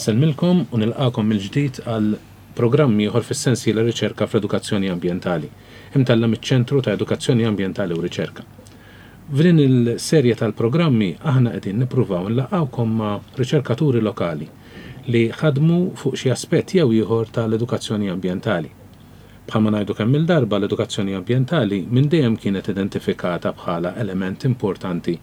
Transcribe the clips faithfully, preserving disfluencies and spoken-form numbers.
Insellmilkom u nilqakom mill-ġdid għal programm ieħor fis-sensiela Riċerka fl-Edukazzjoni Ambjentali, imtella' miċ-Ċentru ta' Edukazzjoni Ambjentali u Riċerka. F'din il-serje tal-programmi aħna qegħdin nippruvaw nlaqgħukom ma' riċerkaturi lokali li ħadmu fuq xi aspett jew ieħor tal-edukazzjoni ambjentali. Bħalma ngħidu kemm il-darba, l-edukazzjoni ambjentali minn dejjem kienet identifikata bħala element importanti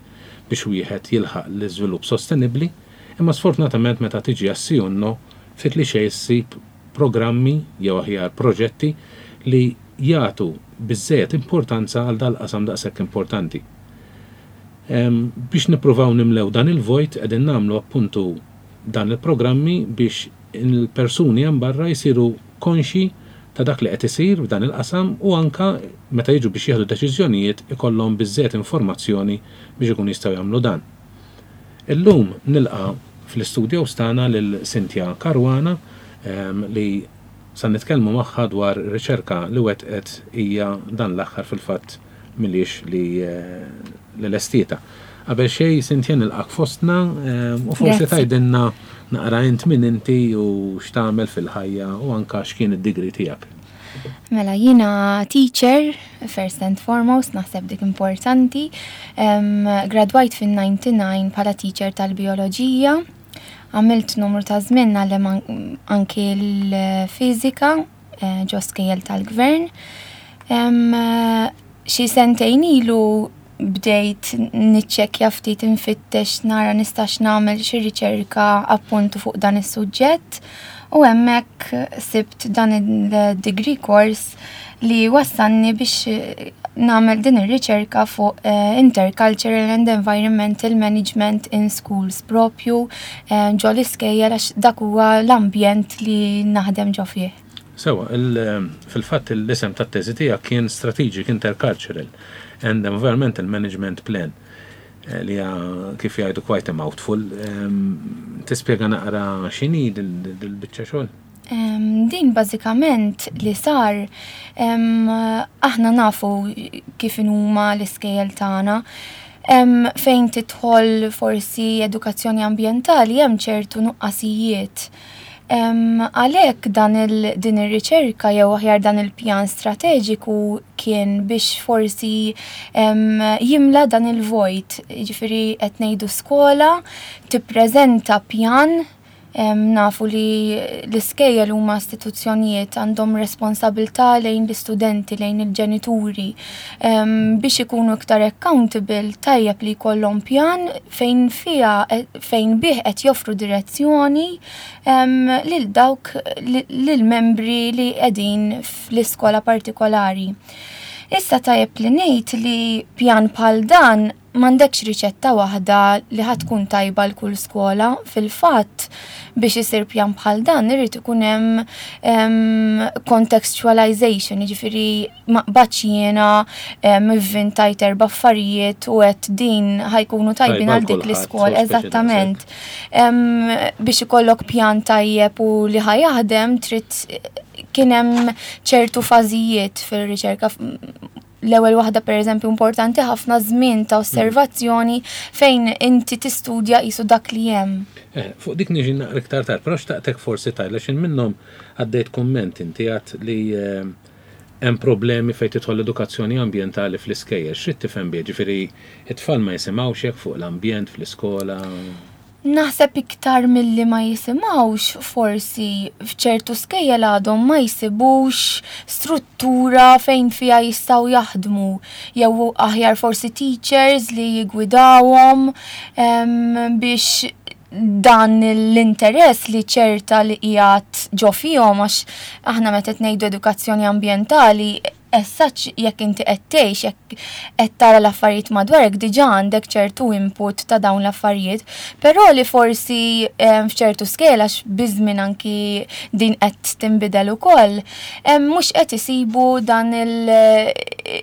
biex wieħed jilħaq l-iżvilupp sostenibbli, imma sfortunatament meta tiġi għas-sijunno ftit li xejn issib programmi jew aħjar proġetti li jagħtu biżżejjed importanza għal dal-qasam daqshekk importanti. Biex nippruvaw nimlew dan il-vojt qegħdin nagħmlu appuntu dan il-programmi biex il-persuni hemm barra jsiru konxi ta' dak li qed isir f'dan il-qasam u anka meta jiġu biex jieħdu deċiżjonijiet ikollhom biżżejjed informazzjoni biex ikun jistgħu jagħmlu dan. Illum nilqa' fl-istudios tagħna lil Cynthia Caruana li sa nitkellmu magħha dwar riċerka li wettqet hija dan l-aħħar, fil-fatt milix li li lestietha. Qabel xejn, Cynthia, nilqak fostna u forsi tgħidilna naqra int min inti u x'tagħmel fil-ħajja u anka x'kien id-degree tiegħek. Mela, jiena teacher, first and foremost, naħseb dik importanti. Um, gradwajt fin-disgħa u disgħin bħala teacher tal-bioloġija. Għamilt numru ta' żmien ngħallem anki l-fiżika eh, ġo skejjel tal-gvern. Um, xi sentejn ilu bdejt niċċekkja ftit, infittex nara nistax nagħmel xi riċerka appuntu fuq dan is-suġġett u hemmhekk sibt dan il-degree course li wassalni biex nagħmel din ir-riċerka fuq uh, intercultural and environmental management in schools, propju uh, ġo l-iskejjel, għax dak huwa l-ambjent li naħdem ġo fih. Sewa, fil-fatt l-isem tat-teżi tiegħek kien Strategic Intercultural and Environmental Management Plan, li kif jgħidu quite a mouthful. Tispjega naqra x'inhi dil-biċċa xogħol? Din bażikament li sar, aħna nafu kif huma l-iskejjel tagħna. Fejn tidħol forsi edukazzjoni ambjentali hemm ċertu nuqqasijiet. Għalhekk dan il, din ir-riċerka jew aħjar dan il-pjan strateġiku kien biex forsi jimla dan il-vojt. Jiġifieri qed ngħidu skola tippreżenta pjan. Nafu li l-iskejjel huma istituzzjonijiet, għandhom responsabilità lejn l-istudenti, lejn il-ġenituri. Biex ikunu iktar accountable, tajjeb li jkollhom pjan fejn fija fejn bih qed joffru direzzjoni lil dawk lil membri li qegħdin fl-iskola partikolari. Issa tajjeb li ngħid li pjan bħal dan m'għandekx riċetta waħda li ħa tkun tajba l kull skola. Fil-fatt, biex isir pjan bħal dan irid ikun hemm contextualization, jiġifieri ma qbadx jiena ivvintajt erba' affarijiet u għedt din ħa jkunu tajbin għal dik l-iskola. Eżattament. Biex ikollok pjan tajjeb u li ħa jaħdem trid kien hemm ċertu fażijiet fil-riċerka. L-ewwel waħda, pereżempju, importanti ħafna, żmien ta' osservazzjoni fejn inti tistudja qisu dak li hemm. Eh, fuq dik niġi naqra iktar tard, però xtaqtek forsi tgħidli x'ħin minnhom għaddejt kumment inti għedt li eh, hemm problemi fejn tidħol l-edukazzjoni ambjentali fl-iskejjel. X'trid tifhem bih? Ġifieri it-tfal ma jisimgħux hekk fuq l-ambjent fl-iskola? Naħseb iktar milli ma jisimgħux, forsi f'ċertu skejjel għadhom ma jsibux struttura fejn fija jistgħu jaħdmu jew aħjar forsi teachers li jigwidawhom biex dan l-interess li ċerta li qiegħed ġo fihom, għax aħna meta ngħidu edukazzjoni ambjentali, essaċ jekk inti qed tgħix, jekk qed tara l-affarijiet madwarek, diġà għandek ċertu input ta' dawn l-affarijiet, però li forsi f'ċertu skejjel, għax biż-żmien anki din qed tinbidel ukoll, mhux qed isibu dan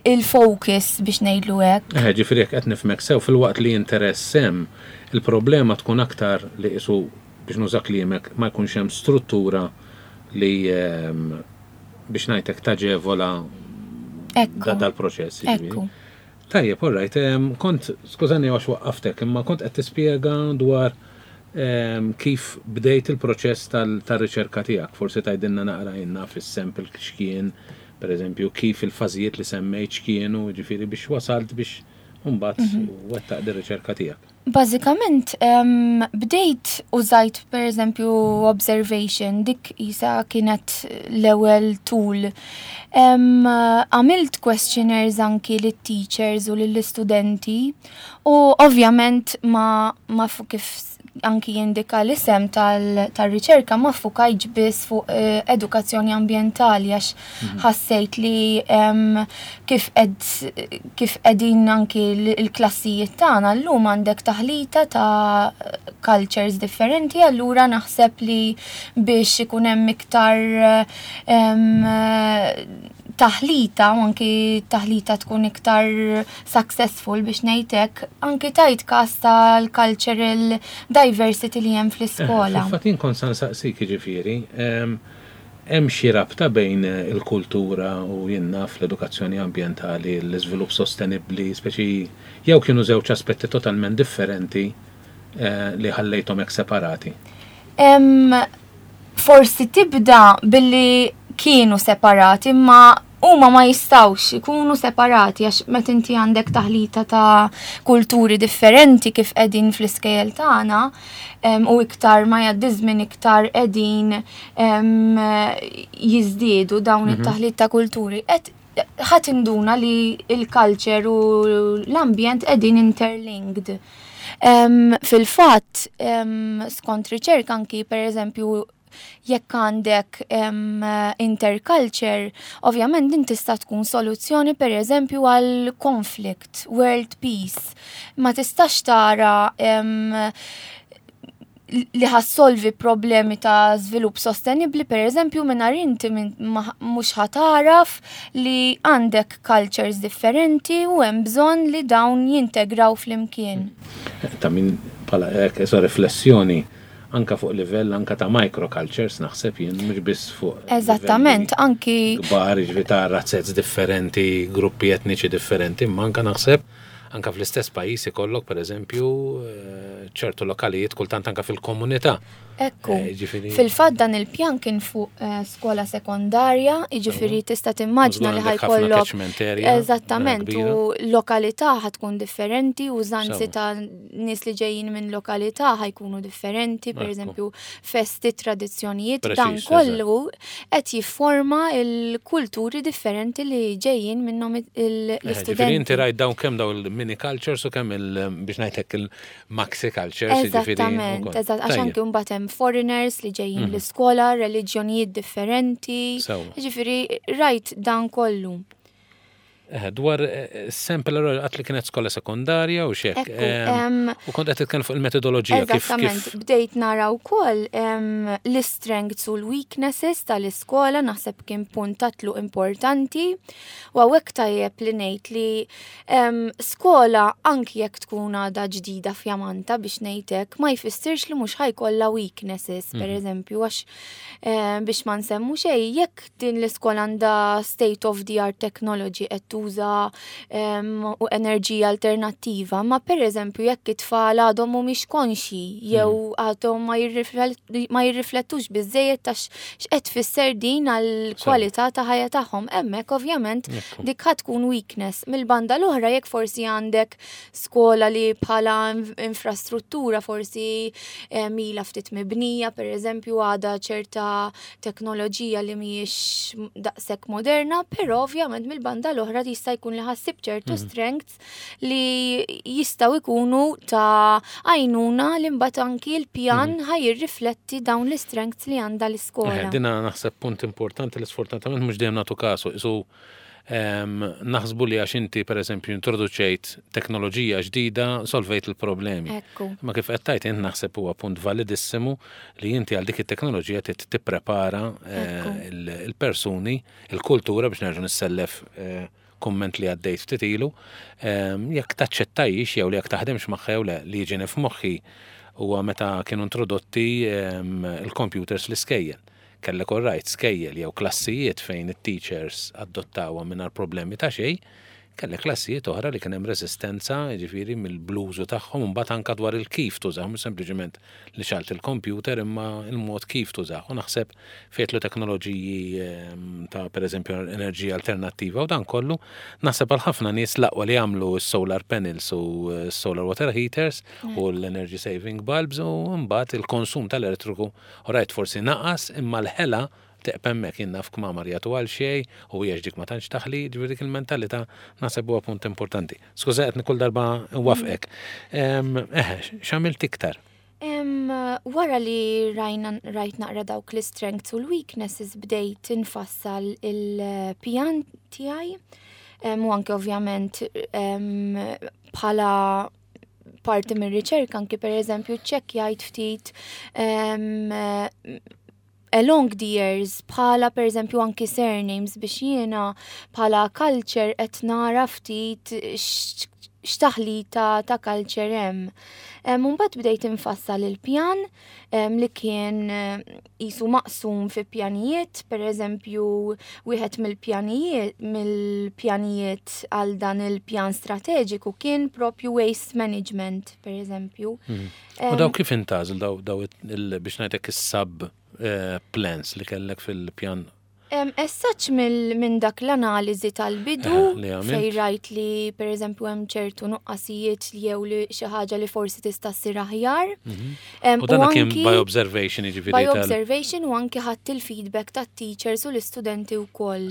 il-focus biex ngħidlu hekk. Eh, ġifieri jekk qed nifhmek sew, filwaqt li interess hemm, il-problema tkun aktar li qisu, biex nuża kliemek, ma jkunx hemm struttura li, biex ngħidlek, taġevola dal-proċess. Ekku. Tajjeb, all right, kont, skużani għax waqqaftek, imma kont qed tispjega dwar ehm, kif bdejt il-proċess tal-riċerka tiegħek. Forsi tgħidilna naqra jenna fis-sample x'kien, per eżempju, kif il-fażijiet li semmejt x'kienu, ġifieri biex wasalt biex mbagħad mhm. wettaq dir-riċerka tiegħek. Bażikament, um, bdejt użajt per eżempju observation, dik isa kienet l-ewwel tool. Għamilt um, questionnaires anki lit-teachers u lill-istudenti u ovvjament ma, ma kif anki jindika l-isem tal-riċerka ma ffukajtx biss fuq eh, edukazzjoni ambientali, għax mhm. ħassejt li kif kif qegħdin anki l-klassijiet tagħna llum, għandek taħlita ta' cultures differenti, allura naħseb li biex ikun hemm iktar taħlita u anki taħlita tkun iktar successful, biex ngħidlek, anki tajt kas tal-cultural diversity li hemm fl-iskola. Eh, Fatin kont sa nsaqsik, ġifieri, hemm xi rabta bejn il-kultura u jenna fl-edukazzjoni ambientali, l-iżvilupp sostenibbli, speċi jew kienu żewġ aspetti totalment differenti eh, li ħallejthom hekk separati? Forsi tibda billi kienu separati, imma huma ma jistawx ikunu separati, għax meta inti għandek taħlita ta' kulturi differenti kif qegħdin fl-iskejjel tagħna, u iktar ma jgħaddi żmien iktar qegħdin jiżdiedu dawn mhm. it-taħlit ta' kulturi. Qed ħadd induna li il-culture u l-ambjent qegħdin interlinked. Fil-fatt, skont riċerka anki, per eżempju, jekk għandek um, interculture, ovvjament din tista' tkun soluzzjoni, per eżempju, għal conflict, world peace. Ma tistax tara um, li ħa ssolvi problemi ta' żvilupp sostenibli, per eżempju, mingħajr inti mhux ħa taraf li għandek cultures differenti u hemm bżonn li dawn jintegraw flimkien. Ta' min bħala riflessjoni anka fuq livell anka ta' microcultures, naħseb jien, mhux biss fuq Eżattament, anki kbar, ġifieri ta' razzez differenti, gruppi etniċi differenti, imma anka naħseb anka fl-istess pajjiż ikollok, pereżempju, eh, ċertu lokalijiet, kultant anka fil-komunità. Ekku. Eh, fil-fatt dan il-pjan kien fuq eh, skola sekondarja, jiġifieri tista' timmaġna li ħa jkollok. Eżattament, u lokalità ħa tkun differenti, użanzi ta' nies li ġejjin minn lokalità ħa jkunu differenti, per eżempju, festi, tradizzjonijiet, dan kollu qed jifforma il-kulturi differenti li ġejjin minnhom l-istudenti. Inti rajt dawn, kemm dawn il-mini cultures u kemm il biex ngħidlek il-maxi cultures. Eżattament, eżatt, għax anki mbagħad hemm foreigners li ġejjin mhm. l-iskola, reliġjonijiet differenti. Ġifieri rajt dan kollu. Eh, dwar eh, sample, għedt li kienet skola sekondarja u xek. U kont qed titkellem fuq il-metodoloġija. Eżattament, bdejt nara wkoll l-strengths u l-weaknesses tal-iskola, naħseb kien punt tatlu importanti. U hawnhekk tajjeb li ngħid li skola, anki jekk tkun għadha ġdida fjamanta, biex ngħidlek, ma jfissirx li mhux ħa jkollha weaknesses, per mhm. eżempju, għax biex ma nsemmu xejn, jekk din l-iskola għandha state of the art technology, qed tuża u enerġija alternattiva, ma per eżempju jekk it-tfal għadhom mhumiex konxji jew mm. għadhom ma jirriflettux biżejjed ta' x'qed tfisser din għall-kwalità ta' ħajja tagħhom, hemmhekk ovvjament dik ħa tkun weakness. Mill-banda l-oħra, jekk forsi għandek skola li bħala infrastruttura forsi ilha ftit mibnija, per eżempju, għadha ċerta teknoloġija li mhijiex daqshekk moderna, però ovvjament mill-banda l-oħra jista' jkun li ħa ssib ċertu mhm. strengths li jistgħu jkunu ta' għajnuna li mbagħad anki l-pjan mhm. ħa jirrifletti dawn l-strengths li għandha l-iskola. Eh, dina naħseb punt importanti li sfortunatament mhux dejjem nagħtu kasu. Isu naħsbu li għax inti, per eżempju, introduċejt teknoloġija ġdida, solvejt il-problemi. Ma kif qed tgħid int, naħseb huwa punt validissimu li inti għal dik it-teknoloġija trid tipprepara eh, il-persuni, il-kultura, biex nerġa' nissellef eh, komment li għaddejt ftit ilu, jekk taċċettajx jew li jekk taħdemx magħha jew le. Li jiġini f'moħħi huwa meta kienu introdotti il-computers l-iskejjel. Kellek orrajt skejjel jew klassijiet fejn it-teachers adottawha mingħajr problemi ta' xejn, Kellek klassijiet oħra li kien hemm resistenza, jiġifieri mill-blużu tagħhom, imbagħad anke dwar il-kif tużaw, mhux sempliċement li xgħalt il-computer imma il-mod kif tużaw. U naħseb fejtlu teknoloġiji ehm, ta' pereżempju enerġija alternattiva u dan kollu, naħseb għal ħafna nies l-aqwa li jagħmlu s-solar panels u s-solar water heaters u l-energy saving bulbs u mbagħad il-konsum tal-elettriku u rajt forsi naqas imma l-ħela teqpa' hemmhekk. Jien naf kmamar jagħtu għal xejn u hija dik ma tantx taħli, ġifieri dik il-mentalità naħseb huwa punt importanti. Skuża qed kull darba nwafqek. Eħe, x'għamilt iktar? Wara li rajna rajt naqra dawk l-strengths u l-weaknesses, bdejt infassal il-pjan tiegħi. U anke ovvjament bħala parti mir riċerka anki per eżempju ċekkjajt ftit along the years bħala per eżempju anki surnames biex jiena bħala culture qed nara ftit x'taħlita ta' culture hemm. Mbagħad bdejt infassal il-pjan li kien qisu maqsum fi pjanijiet, per eżempju wieħed mill-pjanijiet mill-pjanijiet għal dan il-pjan strateġiku kien propju waste management, per eżempju. Mhm. U daw kif intgħażel daw daw biex ngħidlek is-sub eh, plans li kellek fil-pjan? As such minn dak l-analiżi tal-bidu eh, fej rajt li per eżempju hemm ċertu nuqqasijiet jew li xi ħaġa li forsi tista' ssir aħjar. Mhm. U dan kien by observation, jiġifieri. By observation u anki ħadd il-feedback tat-teachers u l-istudenti wkoll.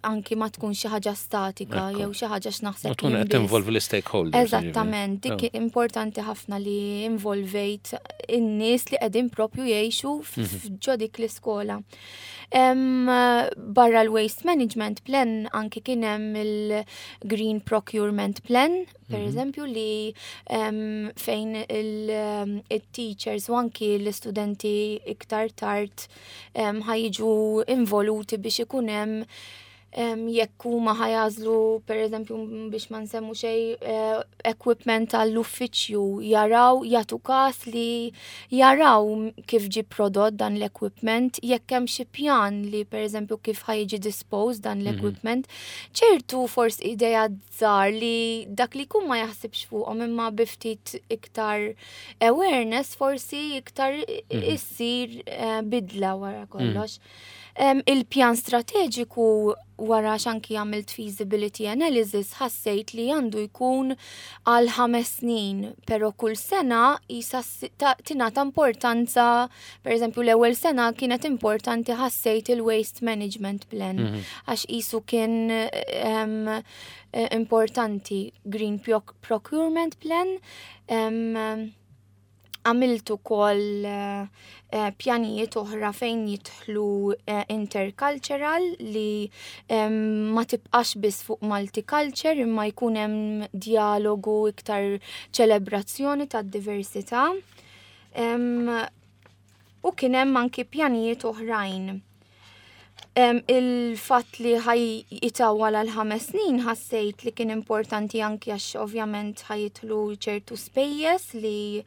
Anki ma tkun xi ħaġa statika jew xi ħaġa x'naħseb. U tkun qed tinvolvi l-stakeholders. Eżattament, dik importanti ħafna li involvejt in-nies li qegħdin propju jgħixu mhm. ġo dik l-iskola. Barra l-Waste Management Plan anki kien hemm il-Green Procurement Plan, per mhm. eżempju, li um, fejn il-teachers u anki l-istudenti iktar tard um, ħa jiġu involuti biex ikun hemm jekk huma ħa jagħżlu, pereżempju, biex ma nsemmu xejn, eh, equipment għall-uffiċċju, jaraw, jagħtu każ li jaraw kif ġi prodott dan l-equipment, jekk hemm xi pjan li pereżempju kif ħa jiġi disposed dan mhm. l-equipment. Ċertu forsi idea żgħar li dak li jkun ma jaħsibx fuqhom, imma bi ftit iktar awareness forsi iktar mhm. issir eh, bidla wara kollox. Il-pjan strateġiku, wara x'anki għamilt feasibility analysis, ħassejt li għandu jkun għal ħames snin, pero kull sena jisa tingħata importanza. Per eżempju, l-ewwel sena kienet importanti, ħassejt, il-waste management plan, mhm. għax qisu kien um, importanti green procurement plan. Um, għamilt ukoll uh, pjanijiet oħra fejn jidħlu uh, intercultural li um, ma tibqax biss fuq multiculture imma jkun hemm dialogu, iktar ċelebrazzjoni tad-diversità. Um, u kien hemm anki pjanijiet oħrajn. Um, il-fatt li ħa jitawwal għal ħames snin ħassejt li kien importanti anki għax ovvjament ħa jidħlu ċertu spejjeż li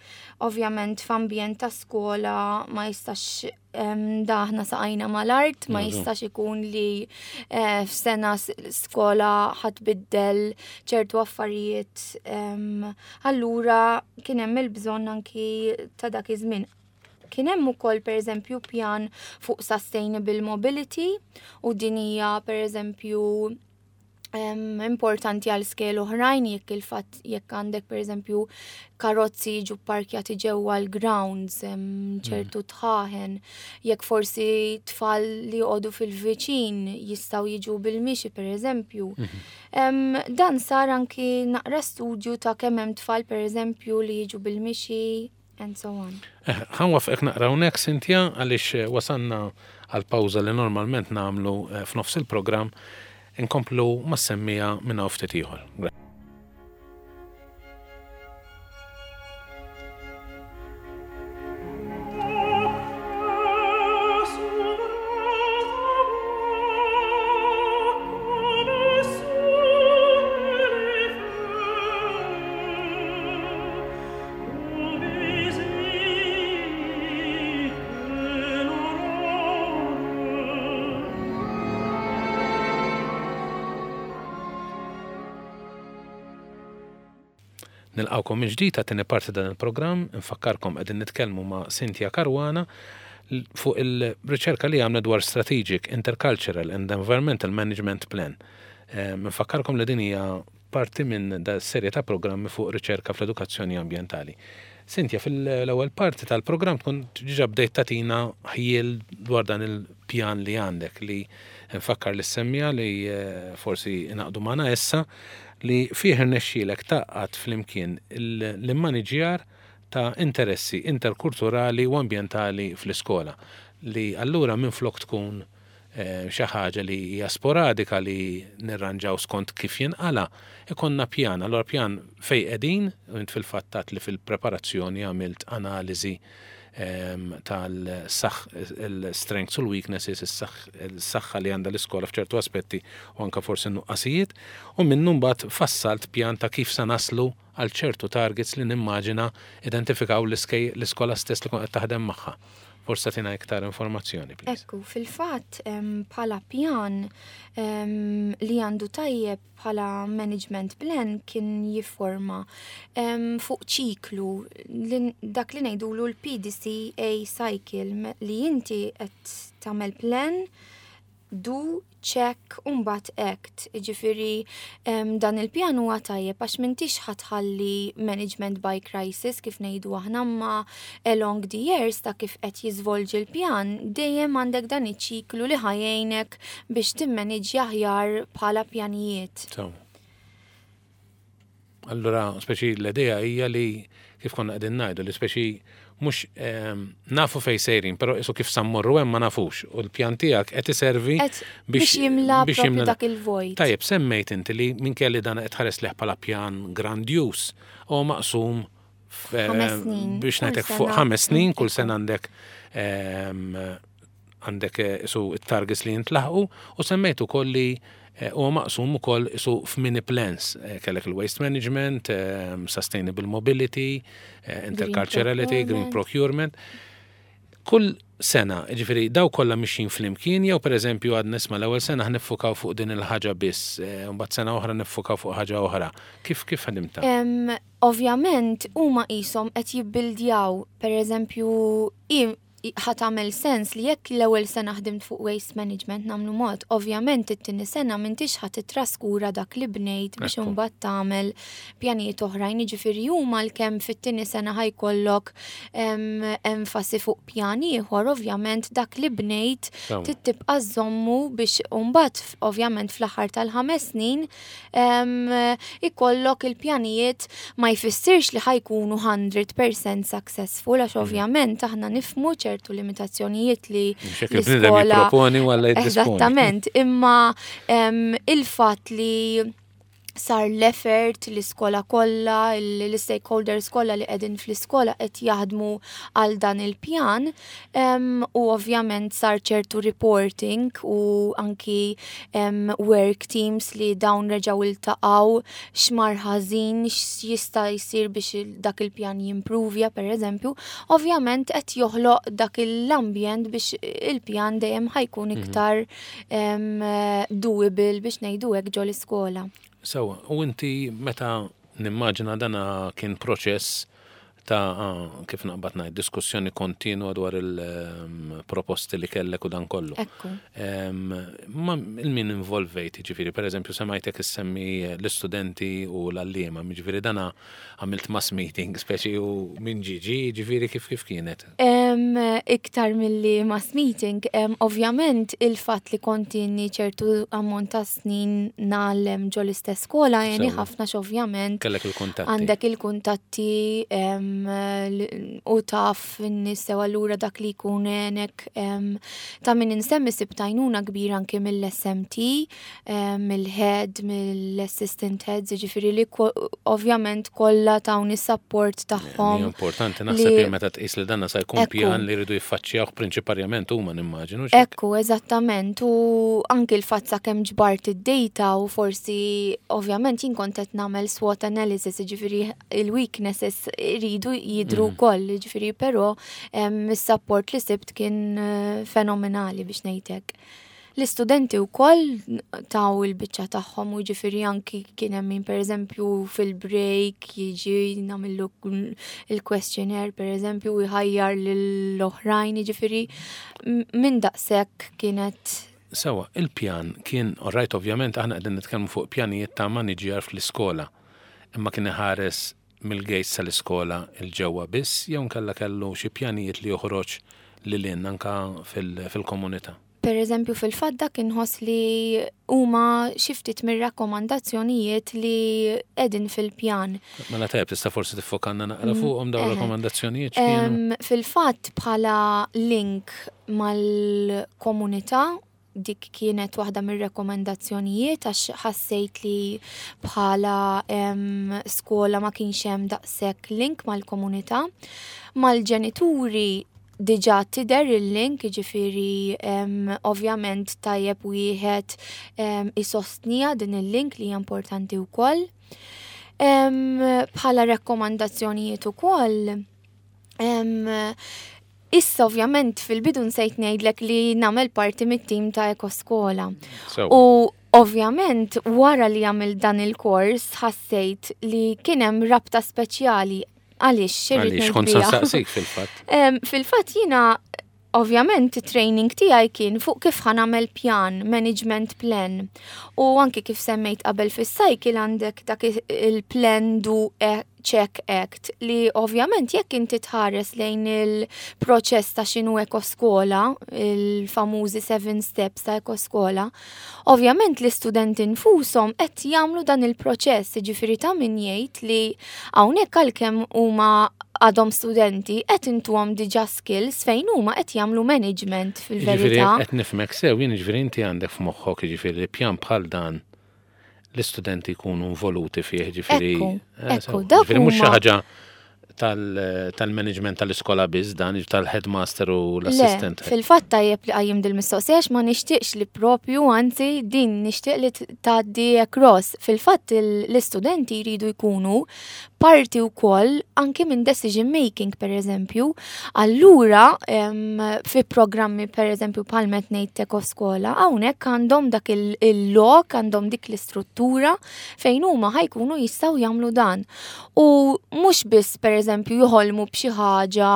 ovvjament f'ambjent ta' skola ma jistax um, daħna saqajna mal-art, ma jistax ikun li uh, f'sena skola ħa tbiddel ċertu affarijiet. Um, allura kien hemm il-bżonn anki ta' dak iż-żmien. Kien hemm ukoll, pereżempju, pjan fuq sustainable mobility u din hija, pereżempju, um, importanti għal skejjel oħrajn jekk il-fatt jekk għandek, pereżempju, karozzi jiġu parkjati ġewwa l-grounds, ċertu mm. dħaħen, jekk forsi tfal li joqogħdu fil-viċin jistgħu jiġu bil-mixi, pereżempju. Mm -hmm. um, dan sar anki naqra studju ta' kemm hemm tfal, pereżempju, li jiġu bil-mixi and so on. Eh, ħa nwaqqfek naqra hawnhekk, Cynthia, għaliex eh, wasanna għal pawża li normalment nagħmlu eh, f'nofs il-programm. Inkomplu mas-semmiegħa minn ftit ieħor. Nilqgħukom mill-ġdid għat-tieni parti dan il-programm, nfakkarkom qegħdin nitkellmu ma' Cynthia Caruana fuq il-riċerka li għamlet dwar Strategic Intercultural and Environmental Management Plan. Nfakkarkom li din hija parti minn da serje ta' programmi fuq riċerka fl-edukazzjoni ambjentali. Cynthia, fil-ewwel parti tal-programm tkun diġà bdejt tagħtina ħjiel dwar dan il-pjan li għandek, li nfakkar lis-semmiegħa li eh, forsi ngħaqdu magħna issa, li fih irnexxielek tgħaqqad flimkien l-immaniġjar ta' interessi interkulturali u ambjentali fl-iskola, li allura minn flok tkun eh, xi ħaġa li hija sporadika li nirranġaw skont kif jinqala, ikollna pjan. Allura pjan fej qegħdin, u int fil-fatt li fil-preparazzjoni għamilt analiżi em, tal-saħ il-strengths u l-weaknesses, is-saħħa li għandha l-iskola f'ċertu aspetti u anka forsi nuqqasijiet, u minnu mbagħad fassalt pjan ta' kif sa naslu għal ċertu targets li nimmaġina identifikaw l-iskola stess li kont qed taħdem magħha. Forsi tagħtina iktar informazzjoni, please. Ekku, fil-fatt bħala pjan em, li għandu tajjeb bħala management plan kien jifforma em, fuq ċiklu li, dak li ngħidulu l-P D C A cycle, me- li inti qed tagħmel plan, do, check u mbagħad act. Ġifieri em, dan il-pjan huwa tajjeb għax m'intix ħa tħalli management by crisis, kif ngħidu aħna, ma along the years ta' kif qed jiżvolġi l-pjan dejjem għandek dan iċ-ċiklu li ħa jgħinek biex timmaniġġja aħjar bħala pjanijiet. So. Allura, speċi l-idea hija li kif konna qegħdin ngħidu li speċi mhux ehm, nafu fej sejrin, però isu kif sa mmorru hemm ma nafux. U l-pjan tiegħek qed iservi Qed biex jimla propju dak il-vojt. Tajjeb, semmejt inti li minkejja li dan qed tħares lejh bħala pjan grandjuż u maqsum f- Ħames snin, biex kull ngħidlek fuq sena. ħames snin, kull sena għandek ehm, għandek eh, isu it-targets li jintlaħqu, u semmejt ukoll li eh, huwa maqsum ukoll isu f'mini plans. Eh, Kellek il-waste management, ehm, sustainable mobility, eh, interculturality, green procurement. Kull sena, ġifieri, daw kollha mixjin flimkien, jew per eżempju għad nisma' l-ewwel sena ħa niffukaw fuq din il-ħaġa biss, eh, u mbagħad sena oħra niffukaw fuq ħaġa oħra? Kif kif ħadimta? Em, Ovvjament huma qishom qed jibbildjaw, per eżempju, i- i- ħa tagħmel sens li jekk l-ewwel sena ħdimt fuq waste management, nagħmlu mod, ovvjament it-tieni sena m'intix ħa titraskura dak li bnejt biex Ekku. imbagħad tagħmel pjanijiet oħrajn, jiġifieri huma l-kemm fit-tieni sena ħa jkollok em, enfasi fuq pjan ieħor, ovvjament dak li bnejt Sewa. trid tibqa' żommu biex mbagħad f- ovvjament fl-aħħar tal-ħames snin em, ikollok il-pjanijiet. Ma jfissirx li ħa jkunu mija fil-mija successful, għax ovvjament aħna nifhmu ċertu limitazzjonijiet li Mhux hekk, il-bniedem jipproponi u Alla jiddisponi. Eżattament, imma em, il-fatt li sar l-effort, l-iskola kollha, l-stakeholders kollha li qegħdin fl-iskola qed jaħdmu għal dan il-pjan, em, u ovvjament sar ċertu reporting u anki em, work teams li dawn reġgħu iltaqgħu, x'mar ħażin, x'jista' jsir biex il- dak il-pjan jimprovja, per eżempju, ovvjament qed joħloq dak l-ambjent biex il-pjan dejjem ħa jkun iktar em, doable, biex ngħidu hekk, ġo l-iskola. Sewa, u inti meta nimmaġina dana kien proċess ta' ah, kif naqbad ngħid, diskussjoni kontinwa dwar il-proposti li kellek u dan kollu. Ekku. Em, Ma il-min involvejt, ġifieri, per eżempju, semajtek issemmi l-istudenti u l-għalliema, ġifieri dana għamilt mass meeting, speċi, u minn ġiġi, ġifieri kif kif kienet? Em, iktar milli mass meeting, em, ovvjament il-fatt li kontini ċertu ammont ta' snin ngħallem ġo l-istess skola jeni Sewa. ħafna, ovvjament Kellek il-kuntatti. għandek il-kuntatti em, l- u taf n-nies sew, allura dak li jkun għenek em, ta' min insemmi sibt għajnuna kbira anke mill-S M T, em, mill-head, mill-assistant heads, ġifieri li ko- ovvjament kollha tawni support tagħhom. Hija importanti naħseb li- li meta tqis li danna sa jkun Ekku. pjan li jridu jiffaċċjawh prinċiparjament huma, nimmaġinu. X'hekk? Ekku, eżattament, u anki l-fatt sa kemm ġbart id-data u forsi ovvjament jien kont qed nagħmel SWOT analysis, ġifieri il-weaknesses iridu jidru wkoll, ġifieri però em, is-support li sibt kien eh, fenomenali, biex ngħidlek. L-istudenti wkoll taw il-biċċa tagħhom u ġifieri anki kien hemm min pereżempju fil-break jiġi nagħmillu il-questionnaire pereżempju u jħajjar lill-oħrajn, jiġifieri minn daqshekk kienet. Sewa, il-pjan kien, alright, ovvjament aħna qegħdin nitkellmu fuq pjanijiet ta' maniġjar fl-iskola, imma kien iħares mill-gates tal-iskola 'l ġewwa biss jew nkella kellu xi pjanijiet li joħroġ lil hinn anka fil-komunità? Per eżempju, fil-fatt dak inħoss li huma xi ftit mir-rakkomandazzjonijiet li qegħdin fil-pjan. Mela tajjeb, tista' forsi tiffokanna naqra mm, fuqhom dawn rakkomandazzjonijiet? Fil-fatt bħala link mal-komunità, dik kienet waħda mir-rekomendazzjonijiet għax ħassejt li bħala skola ma kienx hemm daqshekk link mal-komunità. Mal-ġenituri diġà tidher il-link, ġifieri ovvjament tajjeb wieħed isostnija din il-link li hija importanti wkoll. Bħala rakkomandazzjonijiet ukoll, issa ovvjament fil-bidu nsejt ngħidlek li nagħmel parti mit-tim ta' Ekoskola. U ovvjament wara li għamil dan il-kors ħassejt li kien hemm rabta speċjali. Għaliex? Għaliex kont saqsik fil-fatt. Fil-fatt jiena ovvjament training tiegħi kien fuq kif ħa nagħmel pjan, management plan. U anki kif semmejt qabel fis-cycle għandek dak il-plan do e check act li ovvjament jekk inti tħares lejn il-proċess ta' x'inhu ekoskola, il-famużi seven steps ta' ekoskola, ovvjament l-istudenti nfushom qed jagħmlu dan il-proċess, ġifieri ta' min jgħid li hawnhekk għalkemm huma għadhom studenti qed intuhom diġà skills fejn huma qed jagħmlu management fil-verità. Qed nifhmek sew jien, ġifieri inti għandek f'moħħok ġifieri li pjan bħal dan l-istudenti jkunu involuti fih, ġifieri. Ekku, ekku, ġifieri mhux xi ħaġa tal-management tal-iskola biss dan, tal-headmaster u l-assistant. Fil-fatt tajjeb li qajjimt dil-mistoqsija, ma nixtieqx li propju, anzi din nixtieq li tgħaddi across. Fil-fatt l-istudenti jridu jkunu parti wkoll anki minn decision making, per eżempju. Allura fi programmi per eżempju bħal met ngħid Ekoskola, hawnhekk għandhom dak il-lok, għandhom dik l-istruttura fejn huma ħa jkunu jistgħu jagħmlu dan. U mhux biss per eżempju joħolmu b'xi ħaġa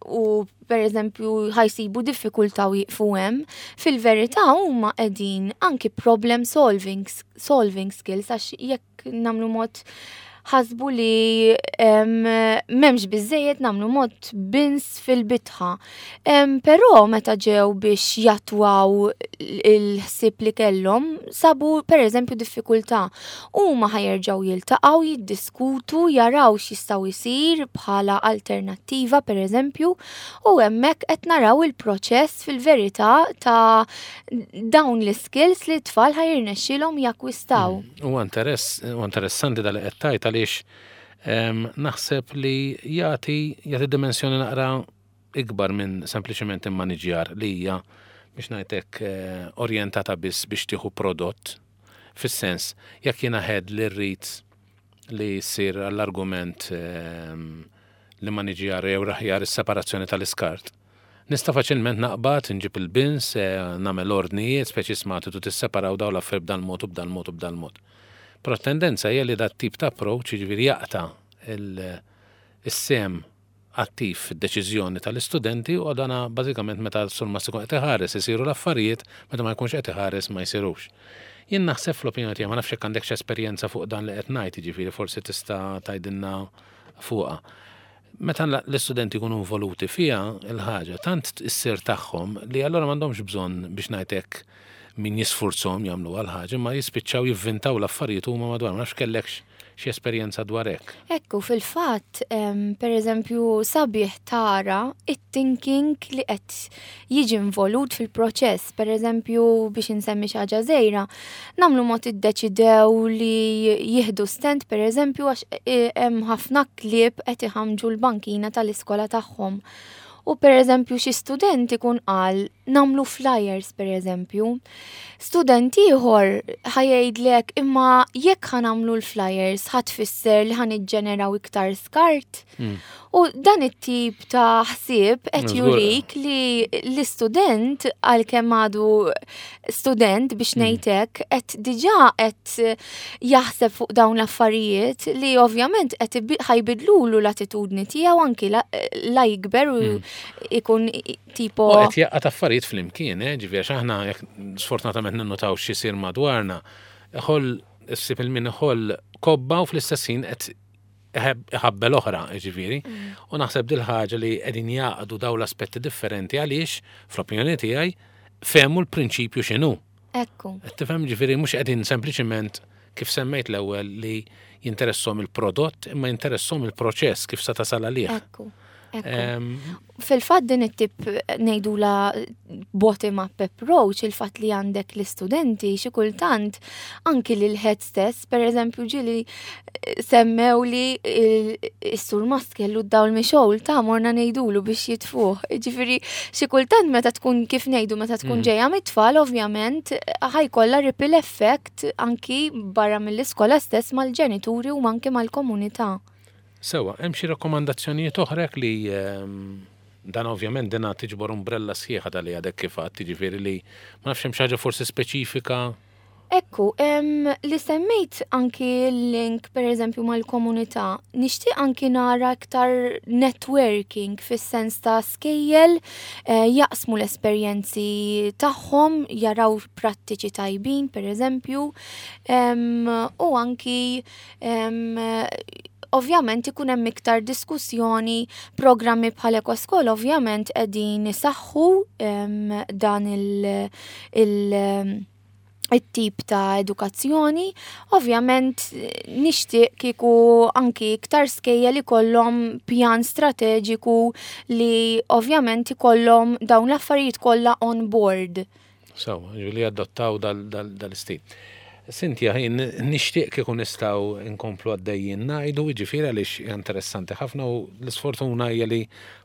u per eżempju ħa jsibu diffikultà u jiqfu hemm, fil-verità huma qegħdin anki problem solving, solving skills, għax jekk nagħmlu mod ħasbu li m'hemmx biżejjed nagħmlu mod bins fil-bitħa. Però meta ġew biex jattwaw il-ħsieb li kellhom, sabu per eżempju diffikultà. Huma ħa jerġgħu jiltaqgħu, jiddiskutu, jaraw x'jistgħu jsir bħala alternattiva per eżempju, u hemmhekk qed naraw il-proċess fil-verità ta' dawn l-skills li t-tfal ħa jirnexxilhom jakkwistaw. Mm, u interess, u interessanti dal qed tgħid għaliex naħseb li jagħti jagħti dimensjoni naqra ikbar minn sempliċement immaniġjar li hija, biex ngħidlek, eh, orjentata biss biex tieħu prodott. Fis-sens, jekk jiena head li rrid li jsir għall-argument li maniġjar jew aħjar is-separazzjoni tal-iskart, nista' faċilment naqbad, nġib il-bins, eh, nagħmel ordnijiet, speċi isma' tu tisseparaw daw l-affarijiet b'dan mod u b'dan mod u b'dan mod. Però tendenza hija li dat tip ta' approach, jiġifieri jaqta' is-sehem attiv fid-deċiżjoni tal-istudenti u dana bażikament meta surmast ikun qed iħares isiru l-affarijiet, meta ma jkunx qed iħares ma jsirux. Jien naħseb, fl-opinjoni tiegħi, ma nafx jekk għandek esperjenza fuq dan li qed ngħid, jiġifieri forsi tista' tgħidilna fuqha. Meta l-istudenti jkunu involuti fiha il-ħaġa, tant issir tagħhom li allura m'għandhomx bżonn, biex ngħidlek, min jisfurzhom jagħmlu għal ħaġa, ma jispiċċaw jivvintaw l-affarijiet huma madwar. Ma nafx kellekx xi esperjenza dwar hekk. Ekku, fil-fatt, per eżempju, sabiħ tara it-thinking li qed jiġi involut fil-proċess. Per eżempju, biex insemmi xi ħaġa żgħira, nagħmlu mod iddeċidew li jieħdu stand, per eżempju, għax e, hemm ħafna klieb qed iħamġu l-bankina tal-iskola tagħhom. U per eżempju xi student ikun qal nagħmlu flyers per eżempju. Student ieħor ħa jgħidlek imma jekk ħa nagħmlu l-flyers ħa tfisser li ħa niġġeneraw iktar skart. Mm. U dan it-tip ta' ħsieb qed Żgur. jurik li l-istudent għalkemm għadu student biex Mm. ngħidlek qed diġà qed jaħseb fuq dawn l-affarijiet li ovvjament qed ibi- ħa jbidlulu l-attitudni tiegħu anki la, la jikber u Mm. ikun tipo U qed jgħaqqad affarijiet flimkien, eh, ġifieri għax aħna jekk sfortunatament ninnotaw x'isir madwarna, iħoll issib il-min iħoll kobba u fl-istess ħin qed iħeb- iħabbel oħra, ġifieri. U naħseb dil-ħaġa li qegħdin jgħaqqdu daw l-aspetti differenti għaliex, fl-opinjoni tiegħi, fehmu l-prinċipju x'inhu. Ekku. Qed tifhem ġifieri mhux qegħdin sempliċiment kif semmejt l-ewwel li jinteressom il-prodott imma jinteressom il-proċess kif sa tasal għalih. Ekku. Ekku. Em, Fil-fatt din it-tip ngħidula bottom up approach, il-fatt li għandek l-istudenti xi kultant anki lil head stess, per eżempju ġieli eh, semmew li il- is-surmast kellu d-dawl mixgħul ta' morna ngħidulu biex jitfuh. Ġifieri xi kultant meta tkun kif ngħidu meta tkun Mm. ġejja mit-tfal ovvjament ħa jkollha ripple effect anki barra mill-iskola stess mal-ġenituri u anki mal-komunità. Sewa, hemm xi rakkomandazzjonijiet oħra li ehm, dan ovvjament dina tiġbor umbrella sħiħa tal-li għadek kif għadt, jiġifieri li ma nafx hemm xi ħaġa forsi speċifika. Ekku, em, li semmejt anki l-link per eżempju mal-komunità, nixtieq anki nara iktar networking fis-sens ta' skejjel eh, jaqsmu l-esperjenzi tagħhom, jaraw prattiċi tajbin per eżempju, em, u anki em, ovvjament ikun hemm iktar diskussjoni, programmi bħal Ekoskola ovvjament qegħdin isaħħu em, dan il- il- it-tip ta' edukazzjoni. Ovvjament nixtieq kieku anki iktar skejjel ikollhom pjan strateġiku li ovvjament ikollhom dawn l-affarijiet kollha on board. Sewa, li adottaw dal-istil. Cynthia, jien nixtieq kieku nistgħu nkomplu għaddejjin ngħidu, ġifieri għaliex hija interessanti ħafna u l-isfortuna hija li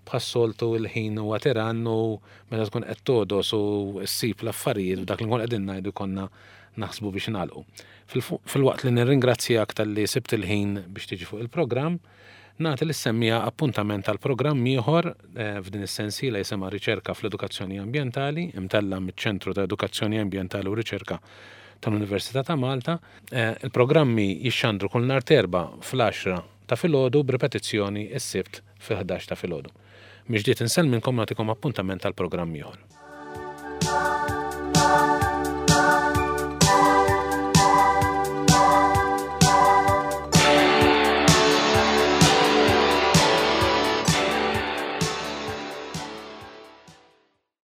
bħas-soltu il-ħin huwa tiran u meta tkun qed togħdos u ssib l-affarijiet u dak li nkun qegħdin ngħidu konna naħsbu biex nagħlqu. Fil-waqt li nirringrazzjak talli sibt il-ħin biex tiġi fuq il-programm, nagħti lis-semmiegħa appuntament tal programm ieħor eh, f'din is-sensiela jisimha Riċerka fl-Edukazzjoni Ambjentali, imtella miċ-Ċentru ta' Edukazzjoni Ambjentali u Riċerka tal-Università ta' Malta. Eh, Il-programmi jixxandru kull nhar t'Erbgħa fl-għaxra ta' filgħodu b'ripetizzjoni s-Sibt fil-ħdax ta' filgħodu. Mill-ġdid insellmilkom nagħtikom appuntament tal-programm ieħor.